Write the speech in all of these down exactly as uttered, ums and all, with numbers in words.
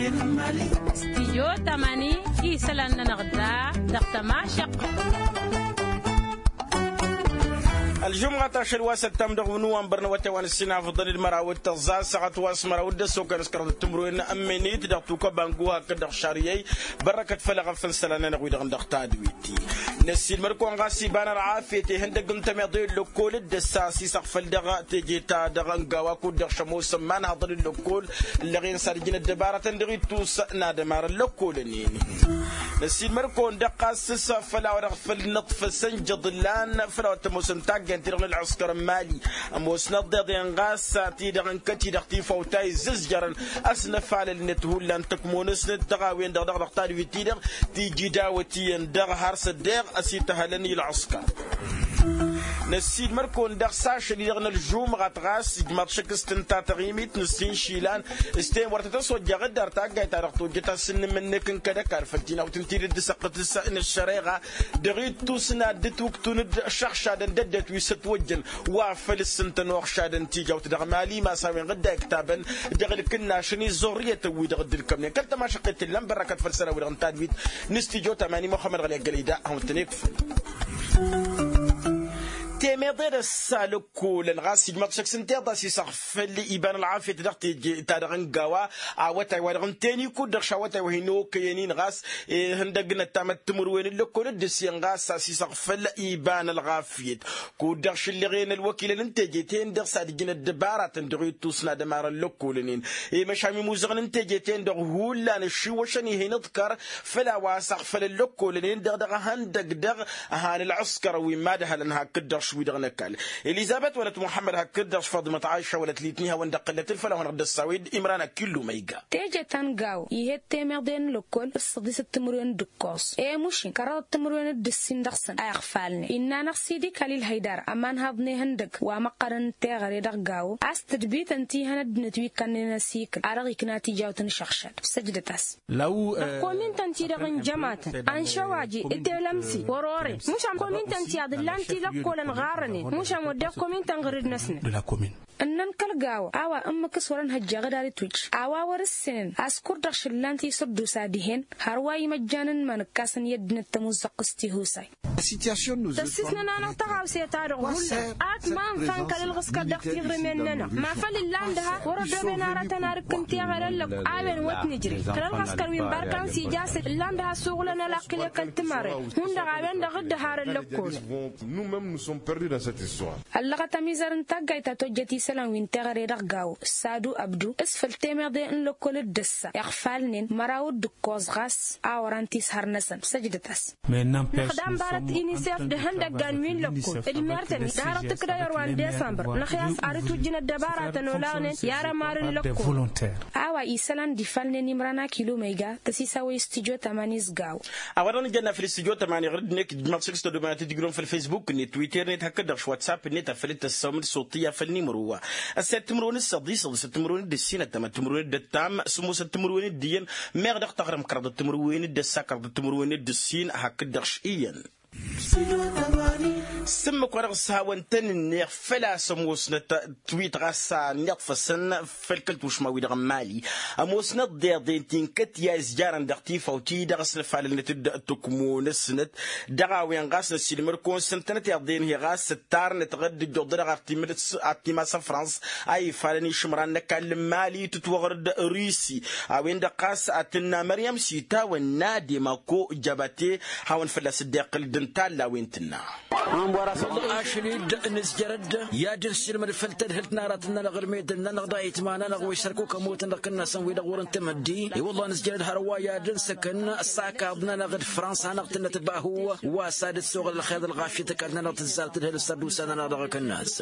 Stijyo tamani isălan-nănăɣ da dăɣ-tămašăɣt. Ălžumɣat ašăl wa săttam dăɣ-wăn uwanbăr n-awătay wa n-ǝssin afḍăn d-măraw d-tăẓẓa ăssaɣăt wa s-măraw d-ăssokăn s-kărăḍ d-timǝrwen n-ămminit dăɣ-tukăba n-guha kăl-dăɣ šariyăy. Bărrăkăt făll-eɣăf n-isălan-nănăɣ wi-dăɣ n-dăɣ-tadwit. Năssiilmăr-kăwăn ɣas iba n-ălɣafyăt ihăndăgg n-tămiḍe n-lăkkol d-ăssa s-isăɣfăl dăɣ-teje-ta-dăɣ n-gawa kud-dăɣ šămoosăn ma n-haḍăn n-lăkkol ǝllăɣen s-ad-ǝjǝn ăddăbarătăn dăɣ-ittus n-ad-ămarăn lăkkolăn-in. Năssiilmăr-kăwăn dăɣ-ɣas s-făll-a-wa dăɣ-făll-nǝḍfăsăn jăḍ ǝllan făll-a-wa t-ămoosăn taggayăn-ti-dăɣ n-ălɣǝskăr n-mali ămoosnăt deḍen ɣas ti-dăɣ n-kăt-i-dăɣ tifawt ta izzǝzjărăn ăsnăfalăl-net hullan tăkmo-năsnăt dăɣ-a-wen-dăɣ dăɣ-dăɣ tadwit-ti-dăɣ tiji dawăt iyyăn dăɣ-har s-ăddeɣ ăsităhălăn i-ălɣǝskăr. Năssiilmăr-kăwăn daɣ s-ašăl-i-dăɣ n-ălžumɣăt ɣas ijmaḍ šăkk s-tǝnta taɣimit n-ǝssin išilan s-ten wăr tăt-ăswăjjaɣ dd-ar taggayt-ta-dăɣ tojjăt asǝnnǝm-net n-kăd-ăkall făll-tinawt n-tidǝt d-săqqǝt s-nǝššăreɣa dăɣ-ittus n-ad-dd-ǝtwǝktun d-išăɣšadăn d-ăddinăt wi s-ătwăjjăn wa făl ǝssǝntăn oɣšadăn tijawt dăɣ-mali ma s-a-wen dd-a iktabăn dăɣ-ǝlkǝnnašăn iẓẓurrǝyătăn-wi-dăɣ dd-ǝlkămnen kăl-tămašăqqet tǝllan bărrăkăt făll-isălan-wi-dăɣ n-tadwit n-studyo tamani muxămmăd ɣăli ăggălăy da ad-hawăn-tăn-ikfăn. Temeḍe d-ăssalăkkolăn ɣas ijmăḍ šăkk s-ǝnta iḍas isăɣfăl iba n-ălɣafyăt dăɣ-teje-ta-dăɣ n-gawa awătay wa dăɣ-n teni kud-dăɣ šawătay wa hin-okăyăn-in ɣas ihăndăgg n-ăttamăt timǝrwen n-lăkkol d-ǝssin ɣas a-s isăɣfăl iba n-ălɣafyăt kud-dăɣ šǝllăɣen ălwăkilăn n-teje-ten-dăɣ s-ad-ǝjǝn ăddăbaratăn dăɣ-ittus n-ad-ămarăn lăkkolăn-in. I-măšan imuzăɣăn n-teje-ten-dăɣ hullan ǝššiwăšăn ih'-in iḍkăr făll-a-wa s-ăɣfălăn lăkkolăn-in-dăɣ dăɣ-ehăndăgg dăɣ-ăhan ălɣǝskăr wi n-imad-ăhălăn hakd-dăɣ š-wi-dăɣ n-ăkall. Elizăbet wălăt muḥămmăd hakd-dăɣ š-faḍimăt aɣiša wălăt litni hawăn-dd-iqqǝllăt ǝlfăl a hawăn-dăɣ dd-ăssawed imran akillu ma iga. Teje ta n-gaw ih'-et temeḍe n-lăkkol s-săḍisăt timǝrwen d-ǝkkoẓ i-mušin kăraḍăt timǝrwen d-ǝssin dăɣ-săn a iɣfalnen innă-năɣ s-idi kalil hăydara ămanhaḍ n-ehăndăgg wa măqqărăn n-teɣăre dăɣ-gawo a-s tǝdbităn ti hăn ăddinăt wi ǝkkannen ăsikǝl a dăɣ-ikna tijawt n-išăɣšad. Săjdăt-as. Dăɣ-komin-tăn-ti-dăɣ n-jămatăn anšăwaje itelămse wăr-oren mušan komin-tăn-ti ad-ǝllan tilăkkolăn ɣarrănen mušan wădden komin-tăn ɣǝrǝd-năsnăt. Ǝnnăn kăl-gawo a-wa ǝmmǝk s-wăr-ănhăjjeɣ d-ad-itwǝjj a-wa wăr-ǝssǝnăn a-s kur-dăɣ šǝllan tisǝddusa dihen hărwa imăjjan n-iman ǝkkasăn i-ăddinăt tămuzzăɣt s-tihusay. Tăssisnăn-anăɣ tăɣawse-ta-dăɣ hullan ak ma ǝnfa n-kăl-ǝlɣǝs kăl-dăɣ tiɣrǝmen-nănăɣ ma făl ǝllan dăha wăr-ăddoben aratăn arǝk n-teɣăre ăllăk a-wen wăt nǝjrǝy kăl-ălɣǝskăr wi n-barkan s-ija a-s ǝllan dăha suɣǝlăn ălaqq kăl-tǝmărre hundăɣ a-wen-dăɣ dd-ăharăn lăkkolăn. Ăllăɣăt ămizăr n-taggayt ta tojjăt isălan wi n-teɣăre dăɣ-gawo sadu ăbdu s-făl temeḍe n-lăkkol d-ăssa iɣfalnen măraw d-ǝkkoẓ ɣas a wăran tishăr-năsăn săjdăt-as. Năxdam barăt inisef d-ihăndăggan wi n-lăkkol d-mertăn-i d-hărăt ǝkdăyăr wa n-desămbăr năxyas ad-ǝtwǝjjǝn ăddăbaratăn olaɣnen i-arămar n-lăkkol. A-wa isălan d-ifalnen imran akilu ma iga tăsisawăy studyo tămani s-gawo. A-wa dăɣ-nǝjănna făll-studyo tămani ɣur-dd-nekk ijmaḍ šik s-tăddomanat d-ǝjrǝwăn făll-facebook-net twitter-net hakd-dăɣ š-whatsapp-net a făl dd-tăssawăm d-soṭṭiya făll-nimro wa ăssayăt timǝrwen d-săḍi săḍisăt timǝrwen d-ǝssin ăttamăt timǝrwen d-ǝttam sǝmmosăt timǝrwen d-iyyăn meɣ dăɣ-taɣrǝm kăraḍăt timǝrwen d-ăssa kăraḍăt timǝrwen d-ǝssin hakd-dăɣ š-iyyăn. S-ǝmmǝk wa dăɣ-s hawăn-tăn-ǝnneɣ făl-a-s ămoosnăt twit ɣas a ănniḍfăsăn făll-kăl-tušma-wi-dăɣ n-mali ămoosnăt deḍen ti n-kăt-i a izjarăn dăɣ-tifawt-i-dăɣ ăsnăfalălnăt-dd tǝkmo-năsnăt. Dăɣ-a-wen ɣas năssiilmăr-kăwăn s-ǝntănăt iḍen-hi ɣas ǝttarnăt ɣăr dd-ǝjjuḍ-dăɣ ɣer timas ăfrans a ifalăn išǝmran n-ăkall n-mali tǝtwăɣrǝd rusi. A-wen-dăɣ ɣas a tǝnna măryăm s-itawănna d-emako jabate hawăn-fălla-s dd-iqqǝl d-ǝnta ălla a-wen tǝnna. Ašăl-dd nǝzjărăd i-ad-dd-nǝsilmăd făll-tadhǝlt n-aratăn-nănăɣ d-medăl-nănăɣ d-ayǝtma-nănăɣ wi s-ărkuk ămootăn dăɣ-kănnasăn wi-dăɣ wăr-ǝntǝmăddi. I-wălla nǝzjărăd hărwa i-ad-dd-nǝsǝkǝn s-akăḍ-nănăɣ d-fransa a năɣ-tǝnnăt bahu wa s-ad-dd-soɣăl ălxer d-ălɣafyăt ăkall-nănăɣ tǝzzar tadhǝlt s-ad-dd-usăn-anăɣ dăɣ-akănnas.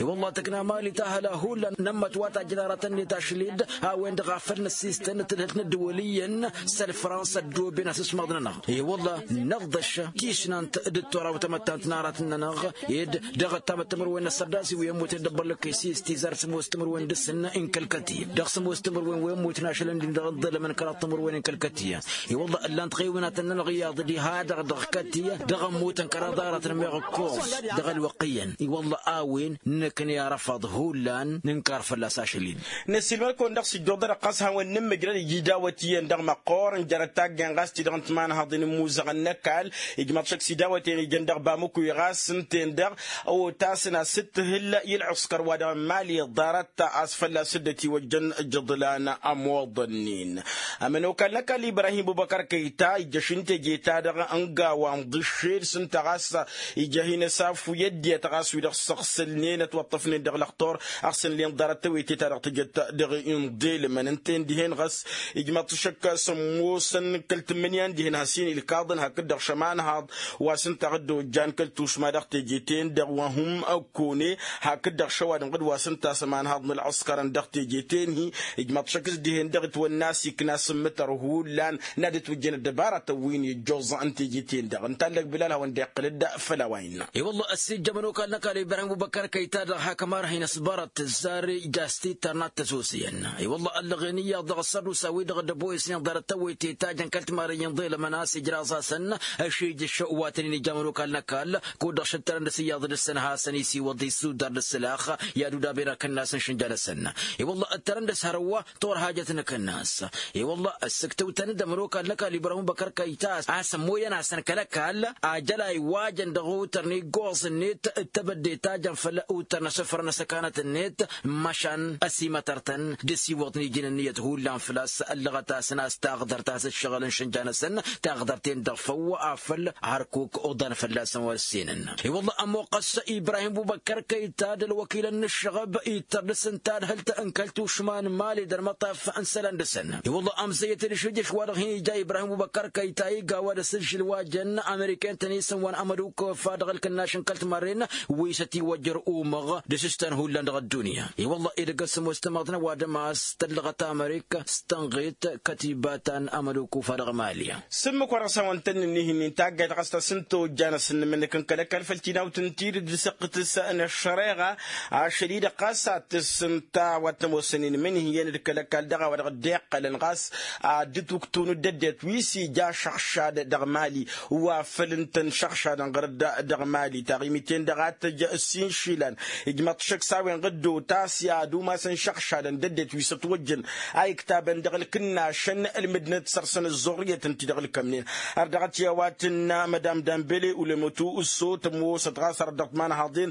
I-wălla tǝkna mali tahăla hullan nămmăt wa tajjăn aratăn-net ašăl-dd a-wen-dăɣ a făl năssistăn tadhǝlt n-ăddăwăl iyyăn s-ălfrans ăddooben asǝsmaḍ-nănăɣ. I-wălla năɣdăš tisnant d-ăttoraw tamăttant n-aratăn-nănăɣ. Ed dăɣ-ăttamăt timǝrwen n-ăssărdasi wi ămmuten d-ăbbăllăkkăy s-istizar sămoos timǝrwen dăɣ-săn n-kăl-kătiyăt dăɣ-sămoos timǝrwen wi ămmuten ašălăn din dăɣ-inḍelămăn kăraḍ timǝrwen n-kăl-kătiyăt. I-wălla ǝllan-t ɣiwǝnatăn n-ălɣiyaḍ diha-dăɣ dăɣ-kătiyăt dăɣ-ămmuten kăraḍ aratăn meɣ ǝkkoẓ dăɣ-ălwăqq iyyăn. I-wălla a-wen nǝknǝy arăfaḍ hullan nǝnkar fălla-s ašăl-in. Năssiilmăd-kăwăn dăɣ-s ǝjjuḍ-dăɣ ɣas a hawăn-nǝmmǝjrăd iji dawăt iyyăn dăɣ-măqqoor n-jer-ăttaggăyăn ɣas ti-dăɣ n-timanhaḍin n-imuzăɣăn n-ăkall. Ijmaḍ-t šăkk s-idawăten ijăn dăɣ-bamukwi ɣas ǝnta-en-dăɣ otasăn asǝttǝhǝl i-ălɣǝskăr wa dăɣ-n mali ḍarăt a-s fălla-s dd-ătiwăjjăn ǝjǝḍlan ămoḍăn-in. Ămănokal n-ăkall ibrahim bubăkăr kăyta ijjăš n-teje-ta-dăɣ ǝnga wa n-ḍǝššel s-ǝnta ɣas ija hin-ăsafu i-ăddinăt ɣas wi-dăɣ săɣsǝlnen ătwăṭṭăfnen dăɣ-lăxtur ăɣsǝnlen ḍarăt tewăyte-ta-dăɣ tǝjăt dăɣ-inḍelmăn ǝnta-en dihen ɣas ijmaḍ-t šăkk sămmosăn kăl-tǝmmǝnǝya n-dihen has-hin-ilkaḍăn hakd-dăɣ šămanhaḍ wa s-ǝnta a dd-ojjan kăl-tušma dăɣ-teje-ten-dăɣ wa hum ăkkone hakd-dăɣ šăwadǝm ɣǝd wa s-ǝnta a-s ămanhaḍ n-ălɣǝskărăn dăɣ-teje-ten-hi. Ijmaḍ-t šăkk s-dihen-dăɣ itwănna a-s ikna sǝmmǝtăr hullan n-ad-ǝtwǝjjăn ăddăbaratăn wi n-ijjoẓ n-teje-ten-dăɣ ǝnta allăg bilal hawăn-dd-iqqǝl-dd făll-a-wa innă. I-wălla ăssiijjăm ănokal n-ăkall ibrahim bubăkăr kăyta-dăɣ hak ămarhăyăn s-bărăt tǝzzar ija s-tittărnat tăsosăyăn. I-wălla ăllăɣen iyyăḍ dăɣ-ăssărdusa-wi-dăɣ dd-ăboyăsnen ḍarăt tăwwăyte ta jăn kăl-timarăyăn ḍelămăn a-s ijraẓ-asăn. Ăšijǝš wa tăn-in-ija ănokal n-ăkall kud-dăɣ šăttărăn dăr-s iyyăḍ dăr-săn hasăn-isiwăḍ isudar dăr-s ǝlax i-ad-udaben akănnas n-išǝnja-năsăn. I-wălla ǝttărăn dăr-s hărwa torhajăt n-akănnas. I-wălla ăssǝktǝwtăn-dd ămănokal n-ăkall ibrahim băkăr kăyta a-s ămmoyăn-asăn kăl-ăkall ajăl a iwajăn dăɣ-utăr n-iggoẓ-net d-tebădde ta jăn făll-utăr n-asǝfrăn asăkanăt-net. Măšan ăsimătăr-tăn d-asiwăḍ n-iji n-ǝnniyăt hullan făl-a-s ăllăɣăt-asăn a-s taɣdărt a-s ǝššăɣǝl n-išǝnja-năsăn. Taɣdărt-en-dăɣ făw afăl hărkuk oḍan fălla-săn wăr-ǝssenăn. I-wălla ămoqqăs ibrahim bubăkkăr kăyta d-ălwăkilăn n-ǝššăɣăb ittăr dăr-s ǝnta adhǝlt n-kăl-tušma n-mali d-ălmăṭṭaf n-isălan dăr-săn. I-wălla ămzăyyăt d-ašǝjjǝš wa-dăɣ hin-ija ibrahim bubăkkăr kăyta iga wa dăr-s ǝžžǝl wa jăn ameriken-tăn isǝm wa n-amăduk fa dăɣ-ǝlkǝnnaš n-kăl-timarren wi s-ătiwăjjăr umăɣ d-asǝstan hullan dăɣ-ăddunya. I-wălla edăgg ăssămoos tamăḍt n-ăwadǝm a-s tăllăɣăt amărik s-tănɣet kătiba ta n-amăduk ufa dăɣ-mali. S-ǝmmǝk wa dăɣ-s hawăn-tăn-ǝnnihin-in taggayt ɣas ta s-ǝnta ojjan asǝnnǝmǝnnǝk n-kăl-ăkall făll-tinawt n-tidǝt d-săqqǝtǝs n-ăššăreɣa. Ašăl-i-dăɣ ɣas ad-tǝssǝnta wa t-ămoosăn inmǝnhǝyăn d-kăl-ăkall dăɣ-a-wa dăɣ-dd-iqqălăn ɣas ad-dd-tuktǝwăn d-ăddinăt wi s-ija šăɣšad dăɣ-mali wa făl ǝnta n-šăɣšadăn ɣăr-dd dăɣ-mali taɣimit-en-dăɣ ad-tăj ǝssin išilan. Ijmăḍ-t šăkk s-a-wen ɣǝddo ta s-i ad-umasăn šăɣšadăn d-ăddinăt wi s-ătwăjjăn a iktabăn dăɣ-ǝlkǝnnašăn ǝlmǝdnăt săr-săn ăzzoɣrǝyăt ǝnta-i dăɣ-ǝlkămnen. Ărdăɣăt i-a-wa tǝnna mădam dambele ulămătu ǝsso tămoosăt ɣas ărăt dăɣ-timanhaḍen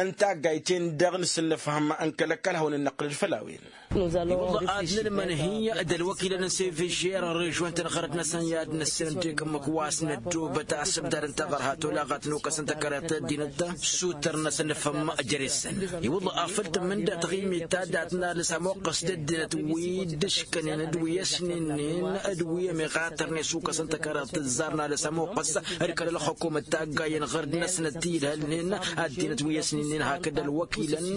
n-taggayt-en-dăɣ n-asǝnnăfhăm n-kăl-ăkall hawăn-dd-năqqǝlăd făll-a-wen. I-wălla ad-nǝlmănhǝy d-ălwăkilăn n-sefežer n-režion-tăn ɣărăt-năsăn i-ad-năssinăntek ǝmmǝk wa s-năddobăt asǝbdad n-taɣărha tolaɣat n-okăs n-tăkăreḍt i-ăddinăt. Sutăr-năsăn nǝfhǝm jere-săn. I-wălla afăl tǝmmǝnda taɣimit ta dat-nalǝs ămoqqăs d-ăddinăt wi dd-ǝškănen d-wi ăsninnen d-wi ămiɣatărnen s-okăs n-tăkăreḍt tǝzzar nalǝs ămoqqăs d-kăl-ălxukumăt taggayen ɣărd-năsnăt ti idhălnen ăddinăt wi ăsninnen hakd ălwăkilăn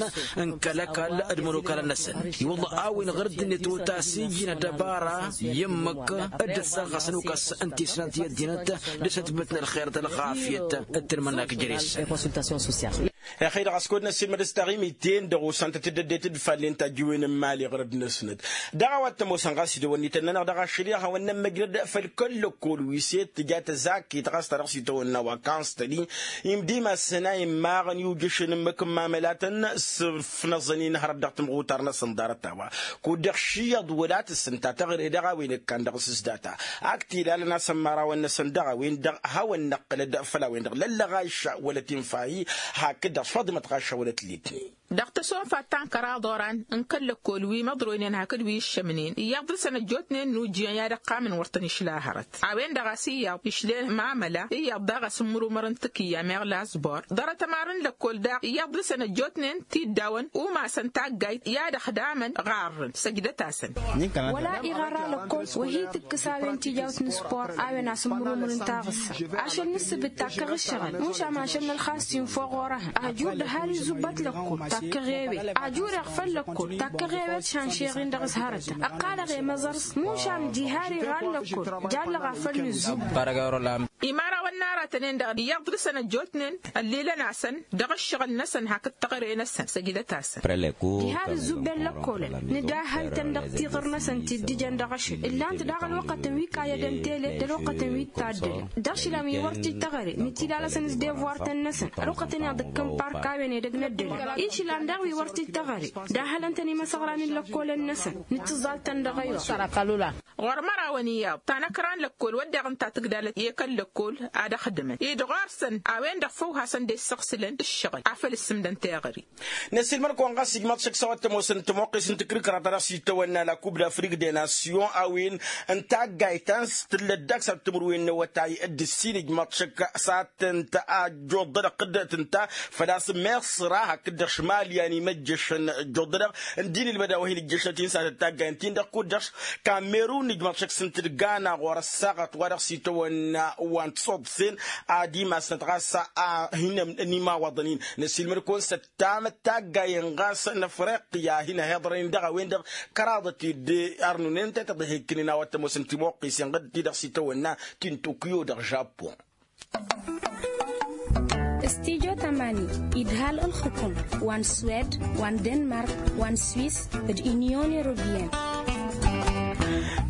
n-kăl-ăkall d-imănokalăn-năsăn. I-wălla a-wen ɣărd-net otas ijin ăddăbara i-ǝmmǝk dd-ăssărɣăsăn okăs n-tisnant i-ăddinăt d-asǝtbǝt n-ălxer d-ălɣafyăt d-tanmănnak jere-săn. Ixăy-dăɣ a-s kăwăd-năssiilmăd s-taɣimit-en-dăɣ osantăt d-ăddinăt d-fallen tajǝwen n-imali ɣărăd-năsnăt. Dăɣ-a-wa t-ămoosăn ɣas idăwănnităn-nănăɣ dăɣ-ašăl i-ad-hawăn-nămmăjrăd făll-kăl-lăkkol wi s-e-t tǝja tăzakit ɣas ta dăɣ-s itawănna wa kanstăli. Imdǝy-masăn a immaɣăn i-ujǝšăn ǝmmǝk n-imamălatăn s-ǝfnăẓăn-in hărăt dăɣ-tǝmɣutar-năsăn ḍarăt-a-wa kud-dăɣ šiyyăḍ wăla tǝssǝnta taɣre dăɣ-a-wen ǝkkan dăɣ-s s-data. Ak t-ilalăn a-s ămmarawăn-năsăn dăɣ-a-wen-dăɣ hawăn-năqqǝlăd făll-a-wen-dăɣ lăllăɣ ašša wăla tinfahi. Hakd-dăɣ s-faḍimăt ɣašša wăla t-letni. Dăɣ-tăsonfat ta n-kăraḍ oran n-kăl-lăkkol wi măḍroynen hakd wi ǝššămnen iyyăḍ dăr-săn ăjjootnen n-ujjiyăn i-ad-ăqqamăn wăr tăn-išla hărăt. A-wen-dăɣ a-s iyyăḍ išlen mamăla iyyăḍ daɣ asǝmmǝrumăr n-tǝkǝyya meɣ lasbor ḍarăt ămarăn lăkkol daɣ iyyăḍ dăr-săn ăjjootnen tiddawăn umasăn taggayt i-ad-ăxdamăn ɣarrăn săjdăt-asăn. Wăla iɣăra lăkkol wa hi-tǝkkǝs a-wen tijawt n-spor a-wen asǝmmǝrumǝr n-taɣǝssa. Ašăl n-ǝssǝbǝt takkăɣ ǝššăɣǝl mušam ašăl n-ălxas tinfăɣ orăhăn ajur d-ăhalǝy zubbăt lăkkol takkăɣ ewet ajur iɣfăl lăkkol takkăɣ ewet šanšeɣ-in dăɣ-s hărătăn ăqqalăɣ i-măẓăr-s mušam diha ar iɣal lăkkol jallăɣ afăl n-ǝzzubbăt. Imărawăn n-aratănen-dăɣ iyyăḍ dăɣ-săn ăjjootnen ăllilăn-asăn dăɣ-ǝššăɣǝl-năsăn hakd teɣăre-năsăn săjdăt-asăn. Diha d-ǝzzubben lăkkolăn nǝdahhăl-tăn dăɣ-tiɣǝr-năsăn ti dd-ijăn dăɣ-ašăl ǝllan-t daɣ ălwăqqătăn wi kayădăn tele d-ălwăqqătăn wi t-taddălăn. Dăɣ-ašǝl a-wen wăr t-dd-teɣăre nǝtilalăsăn s-devuwar-tăn-năsăn ălwăqqătăn-i ad-ǝkkǝn park a-wen edăgg n-ăddălăn. Išǝlan daɣ wi wăr t-dd-teɣăre dahhălăn-tăn imăsăɣran n-lăkkolăn-năsăn. Nǝttǝẓẓal-tăn dăɣ-ewăr. Ɣur-mărawăn iyyăḍ ta n-ăkra n-lăkkol wădden ǝnta tǝgdalăt i-kăl-lăkkol ad-ăxdǝmăn-dd ɣur-săn a-wen-dăɣ făw hasăn-dd-issăɣsǝlăn ǝššăɣǝl a făl ǝssǝmdăn teɣăre. Năsiilmăr-kăwăn ɣas ijmaḍ šăkk s-a-wa t-ămoosăn tămoqqes n-takrǝkra ta dăɣ-s itawănna la kub d-afrik de nasyon a-wen n-taggayt ta n-s tǝllăt daks ad-timǝrwen n-awătay d-ǝssin ijmaḍ šăkk s-ad-tǝnta a ăjjuḍădăɣ tǝnta făl-a-s meṣra hakd-dăɣ šmalyan imăjjăšăn ăjjuḍădăɣ ǝndin ilmăd a-wa hin-ǝjjăšăt-in s-ad-tăt-taggayăn-t-in-dăɣ kud-dăɣ kamerun ijmaḍ šăkk s-ǝntǝdgana ɣur-ăssaɣăt wa dăɣ-s itawănna wa n-tiṣuḍsen ad-imasnăt ɣas a hin-ămnăn imawaḍăn-in. Năsiilmăd-kăwăn s-ăttamăt taggayen ɣas n-afriqya a hin-ăhiḍrăyăn dăɣ-a-wen-dăɣ kăraḍăt-dd arnunen tetăḍ ihekkǝnen a-wa t-ămoosăn timuqqisen ɣǝd-ti-dăɣ s-itawănna ti n-tokyo dăɣ-žapun. Stijo tamani idhal ǝlxǝkum wa n-swed wa n-denmark wa n-swis d-inyon europiyăn.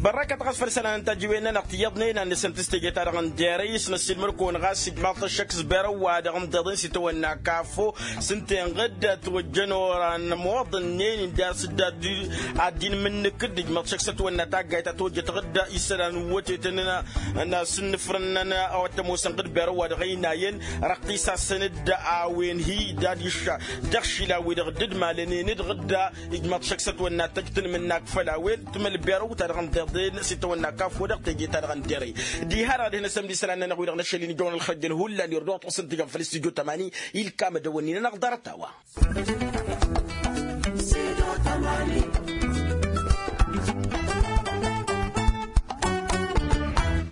Bărrăkăt ɣas făll-isălan n-tajǝwen-nănăɣ tiyyăḍnen a n-nǝsăn tǝstejăt-ta-dăɣ n-derăy s-năssiilmăd-kăwăn ɣas ijmaḍ-t ăššăk s-berăw-wa-dăɣ n-tiḍen s-itawănna kafo s-ǝnta-en ɣǝdda tiwăjjăn oran ămoḍănnen-in d-a-s dd-ad-dd-in imǝnnǝk-dd ijmaḍ-t šăkk s-ătwănna taggayt ta tojjăt ɣǝdda isălan n-wătetăn n-asǝnnǝfrăn-năn a-wa t-ămoosăn ɣǝd berăw-wa-dăɣ ăynayăn răqqis-asăn-dd a-wen hi-i d-ad-išša dăɣ-išilan-wi-dăɣ dd-malănen-dd ɣǝdda. Ijmaḍ šăkk s-ătwănna tăjj tanmǝnnak făll-a-wen timǝlberew-ta-dăɣ n-tiḍen s-itawănna kafo dăɣ-teje-ta-dăɣ n-derăy. Diha-dăɣ ad-hin-ăsămd isălan-nănăɣ wi-dăɣ n-ašăl-in ijăwăn ălxăjjăn hullan irduɣ tuɣsăn tijăn făll-istudyo tămani. Ilkam ad-ăwănnin-anăɣ ḍarăt a-wa.